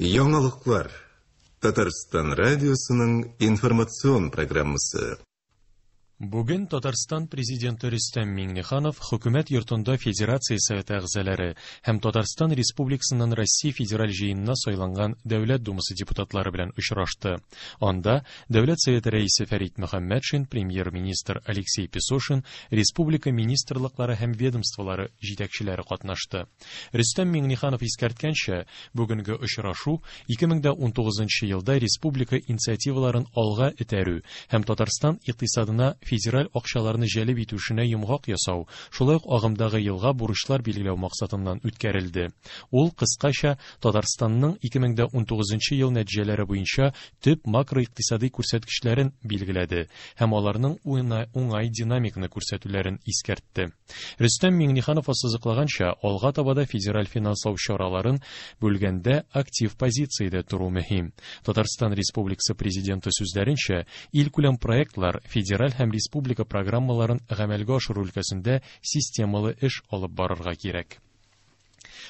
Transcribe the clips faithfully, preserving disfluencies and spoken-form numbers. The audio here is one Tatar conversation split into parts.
Яңалыклар. Татарстан радиосының информацион программасы. Бүген Татарстан Президенты Рөстәм Миңнеханов Хөкүмәт йортында Федерация Советы әгъзалары һәм Татарстан Республикасыннан Россия Федераль җыенына сайланган Дәүләт Думасы депутатлары белән очрашты. Анда Дәүләт Советы рәисе Фәрит Мөхәммәтшин, премьер-министр Алексей Песошин, республика министрлыклары һәм ведомстволары җитәкчеләре катнашты. Рөстәм Миңнеханов искәрткәнчә, бүгенге очрашу ике мең дә унтугызынчы елда республика инициативаларын алга этәрү һәм Татарстан икътисадына федераль акчаларны җәлеп итү эшенә йомгак ясау, шулай ук агымдагы елга бурычлар билгеләү максатыннан үткәрелде. Ул кыскача Татарстанның ике мең дә унтугызынчы ел нәтиҗәләре буенча төп макроикътисади күрсәткечләрен билгеләде һәм аларның уңай динамиканы күрсәтүләрен искәртте. Рөстәм Миңнеханов ассызыклаганча, алга таба да федераль финанслау чараларын бүлгәндә актив позициядә тору мөһим. Татарстан Республикасы Президенты сүзләренчә, илкүләм проектлар федераль һәм республика программаларын гамәлгә ашыру өлкәсендә системалы эш алып барырга кирәк.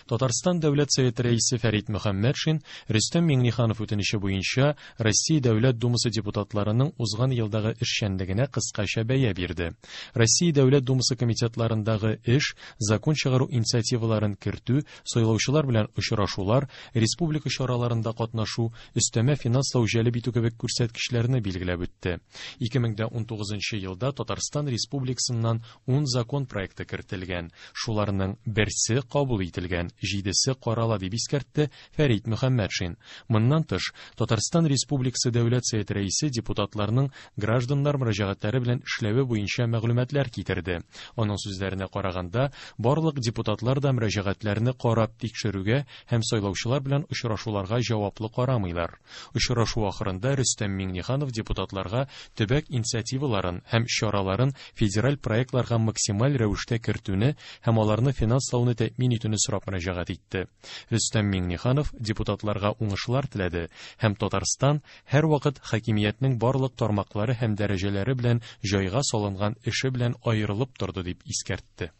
Татарстан Дәүләт Советы рәисе Фәрит Мөхәммәтшин Рөстәм Миңнеханов үтенече буенча Россия Дәүләт Думасы депутатларының узган елдагы эшчәнлегенә кыскача бәя бирде. Россия Дәүләт Думасы комитетларындагы эш, закон чыгару инициативаларын кертү, сайлаучылар белән очрашулар, республика чараларында катнашу, өстәмә финанслау җәлеп итү кебек күрсәткечләрне билгеләп үтте. Ике мең дә унтугызынчы елда Татарстан Республикасыннан ун закон проекты кертелгән. Шуларның берсе кабул ителгән, җидесе карала дип искәртте Фәрит Мөхәммәтшин. Моннан тыш, Татарстан Республикасы Дәүләт Советы рәисе депутатларның гражданнар мөрәҗәгатьләре белән эшләве буенча мәгълүматлар китерде. Аның сүзләренә караганда, барлык депутатлар да мөрәҗәгатьләрне карап тикшерүгә һәм сайлаучылар белән очрашуларга җаваплы карамыйлар. Очрашу ахырында Рөстәм Миңнеханов депутатларга төбәк инициативаларын һәм чараларын федераль проектларга максималь рәвештә кертүне һәм аларны финанслауны тәэмин итүне сорап мөрәҗәгать итте. Рөстәм Миңнеханов депутатларга уңышлар теләде һәм Татарстан һәрвакыт хакимиятнең барлык тармаклары һәм дәрәҗәләре белән җайга салынган эше белән аерылып торды дип искәртте.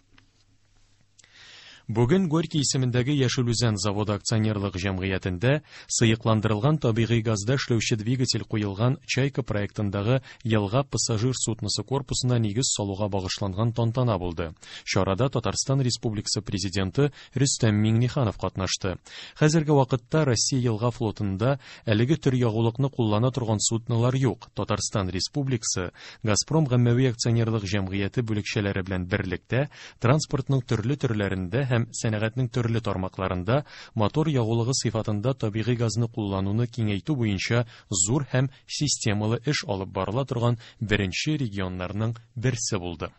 Бүген Горький исемендәге Яшел Үзән заводы акционерлык җәмгыятендә сыекландырылган табигый газда эшләүче двигатель куелган Чайка проектындагы елга пассажир судносы корпусына нигез салуга багышланган тантана булды. Чарада Татарстан Республикасы Президенты Рөстәм Миңнеханов катнашты. Хәзерге вакытта Россия елга флотында әлеге төр ягулыкны куллана торган суднолар юк. Татарстан Республикасы Газпром гаммәви акционерлык җәмгыяте бүлекчәләре белән берлектә транспортның төрле төрләрендә һәм сәнәгатьнең төрле тармакларында мотор ягулыгы сыйфатында табигый газны куллануны киңәйтү буенча зур һәм системалы эш алып барыла торган беренче регионнарның берсе булды.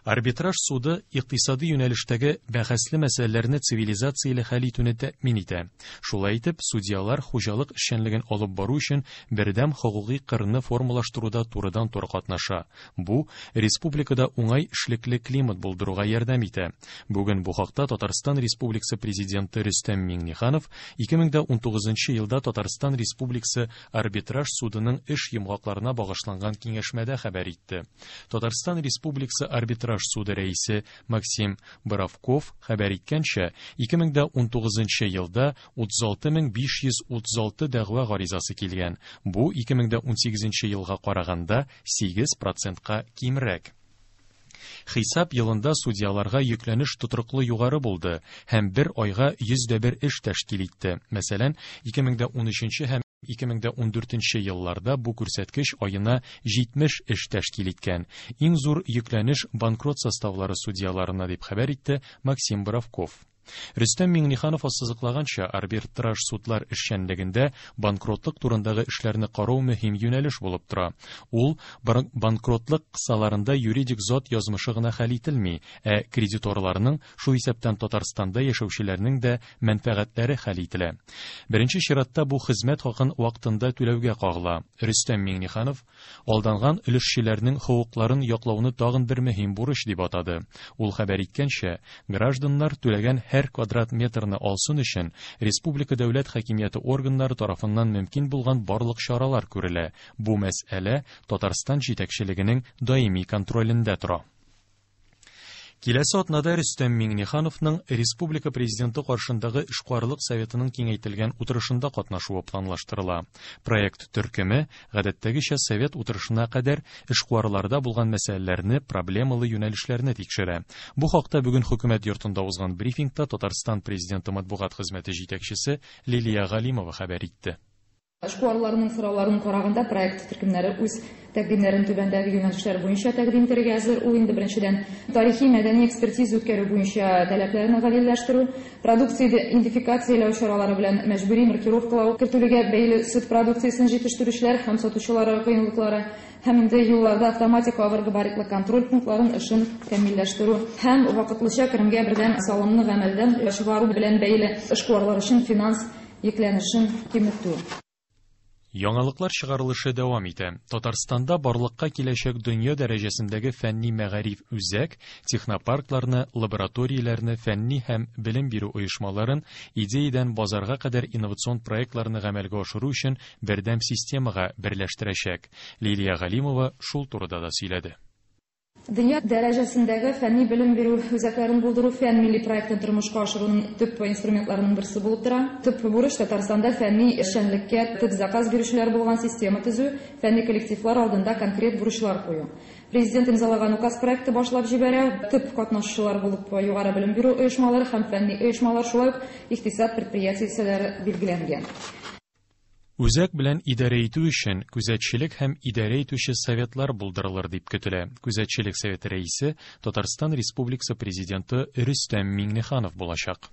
Арбитраж суды икътисади юнәлештәге бәхәсле мәсьәләләрне цивилизацияле хәл итүне тәэмин итә. Шулай итеп, судьялар хуҗалык эшчәнлеген алып бару өчен бердәм хокукый кырны формалаштыруда турыдан-туры катнаша. Бу республикада уңай эшлекле климат булдыруга ярдәм итә. Бүген бу хакта Татарстан Республикасы Президенты Рөстәм Миңнеханов ике мең дә унтугызынчы елда Татарстан Республикасы Арбитраж судының эш йомгакларына багышланган киңәшмәдә хәбәр итте. Татарстан Республикасы Арбитраж суды рәисе Максим Боровков хәбәр иткәнчә, ике мең дә унтугызынчы елда утыз алты мең биш йөз утыз алты дәгъва гаризасы килгән. Бу ике мең дә унсигезенче елга караганда сигез процентка кимрәк. Хисап елында судьяларга йөкләнеш тотрыклы югары булды һәм бер айга йөз дә бер эш тәшкил итте. Мәсәлән, ике мең дә унөченче һәм ике мең дә ундүртенче елларда бу күрсәткеч айына җитмеш эш тәшкил иткән. Иң зур йөкләнеш банкрот составлары судьяларына дип хәбәр итте Максим Боровков. Рөстәм Миңнеханов ассызыклаганча, арбитраж судлар эшчәнлегендә банкротлык турындагы эшләрне карау мөһим юнәлеш булып тора. Ул банкротлык кысаларында юридик зат язмышы гына хәл ителми, ә кредиторларның, шул исәптән Татарстанда яшәүчеләрнең дә мәнфәгатьләре хәл ителә. Беренче чиратта бу хезмәт хакын вакытында түләүгә кагыла. Рөстәм Миңнеханов алданган өлешчеләрнең хокукларын яклауны тагын бер мөһим бурыч дип атады. Ул хәбәр иткәнчә, гражданнар түләгән һәр квадрат метрны алсын өчен республика дәүләт хакимияте органнары тарафыннан мөмкин булган барлык чаралар күрелә. Бу мәсьәлә Татарстан җитәкчелегенең даими контролендә тора. Киләсе атнада Рөстәм Миңнехановның Республика Президенты каршындагы эшкуарлык советының киңәйтелгән утырышында катнашуы планлаштырыла. Проект төркеме гадәттәгечә совет утырышына кадәр эшкуарларда булган мәсьәләләрне, проблемалы юнәлешләрне тикшерә. Бу хакта бүген хөкүмәт йортында узган брифингта Татарстан Президенты матбугат хезмәте җитәкчесе Лилия Галимова хәбәр итте. Эшкуарларның сорауларын караганда проект төркемнәре үз тәкъдимнәрен түбәндәге юнәлешләр буенча тәкъдим итәргә әзер. Ул инде беренчедән тарихи мәдәни экспертиза үткәрү буенча таләпләрне гадилләштерү, продукция идентификацияләү чаралары белән мәҗбүри маркировкалау кертүгә бәйле сөт продукциясен җитештерүчеләр һәм сатучылар кыенлыклары һәм инде юлларда автоматик авыр габаритлы контроль пунктларын эшен камилләштерү һәм вакытлыча керемгә бердәм салымны гамәлдән чыгару белән бәйле эшкуарлар өчен финанс йөкләнешен киметү. Яңалыклар чыгарылышы дәвам итә. Татарстанда барлыкка киләчәк дөнья дәрәҗәсендәге фәнни мәгариф үзәк, технопаркларны, лабораторияләрне, фәнни һәм белем бирү оешмаларын идеядән базарга кадәр инновацион проектларны гамәлгә ашыру өчен бердәм системага берләштерәчәк. Лилия Галимова шул турыда да сөйләде. Дөнья дәрәҗәсендәге фәнни белем бирү үзәкләрен булдыру фән милли проектын тормышка ашыруның төп инструментларының берсе булып тора. Төп бурыч Татарстанда фәнни эшчәнлеккә төп заказ бирүчеләр булган система төзү, фәнни коллективлар алдында конкрет бурычлар кую. Президент имзалаган указ проекты башлап җибәрә. Төп катнашучылар булып югары белем бирү оешмалары һәм фәнни оешмалар, шулай ук икътисад предприятиеләре билгеләнгән. Үзәк белән идарә итү өчен күзәтчелек һәм идарә итүче советлар булдырылыр дип көтелә. Күзәтчелек советы рәисе Татарстан Республикасы Президенты Рөстәм Миңнеханов булачак.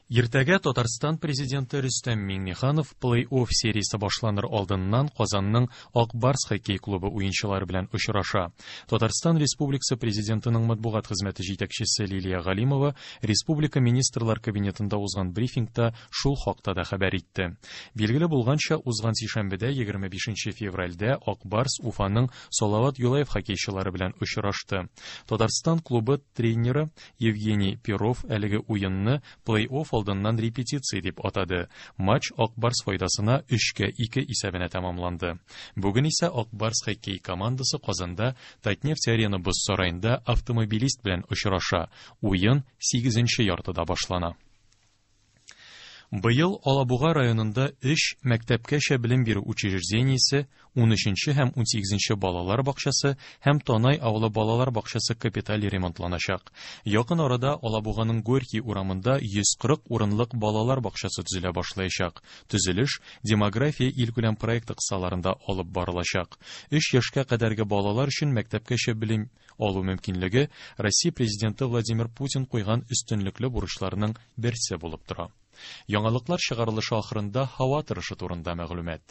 Иртәгә Татарстан Президенты Рөстәм Миңнеханов плей-офф сериясе башланыр алдыннан Казанның Ак Барс хоккей клубы уенчылары белән очраша. Татарстан Республикасы Президентының матбугат хезмәте җитәкчесе Лилия Галимова Республика Министрлар Кабинетында узган брифингта шул хакта да хәбәр итте. Билгеле булганча, узган сишәмбедә егерме бишенче февральдә Ак Барс Уфаның Салават Юлаев хоккейчылары белән очрашты. Татарстан клубы тренеры Евгений Перов әлеге уенны плей-офф алдыннан репетиция дип атады. Матч Ак Барс файдасына өчкә ике исәбенә тәмамланды. Бүген исә Ак Барс хоккей командасы Казанда Татнефть Арена боз сараенда Автомобилист белән очраша. Уен сигезенче яртыда башлана. Быел Алабуга районында өч мәктәпкәчә белем бирү учреждениесе, унөченче һәм унсигезенче балалар бакчасы һәм Танай авылы балалар бакчасы капиталь ремонтланачак. Якын арада Алабуганың Горький урамында йөз кырык урынлык балалар бакчасы төзелә башлаячак. Төзелеш демография илкүләм проекты кысаларында алып барылачак. Өч яшькә кадәрге балалар өчен мәктәпкәчә белем алу мөмкинлеге Россия Президенты Владимир Путин куйган өстенлекле бурычларның берсе булып тора. Яңалыклар чыгарылышы ахырында һава торышы турында мәгълүмат.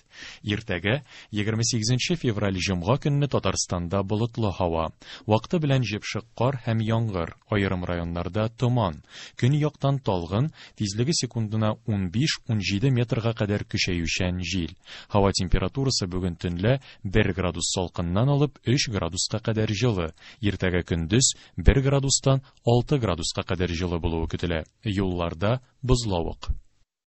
Иртәгә егерме сигезенче февраль җомга көнне Татарстанда болытлы һава. Вакыты белән җепшек кар һәм яңгыр, аерым районнарда томан. Көньяктан талгын, тизлеге секундына унбиш-унҗиде метрга кадәр көчәючән җил. Һава температурасы бүген төнлә бер градус салкыннан алып өч градуска кадәр җылы. Иртәгә көндез бер градустан алты градуска кадәр җылы булуы көтелә. Юлларда бозлавык.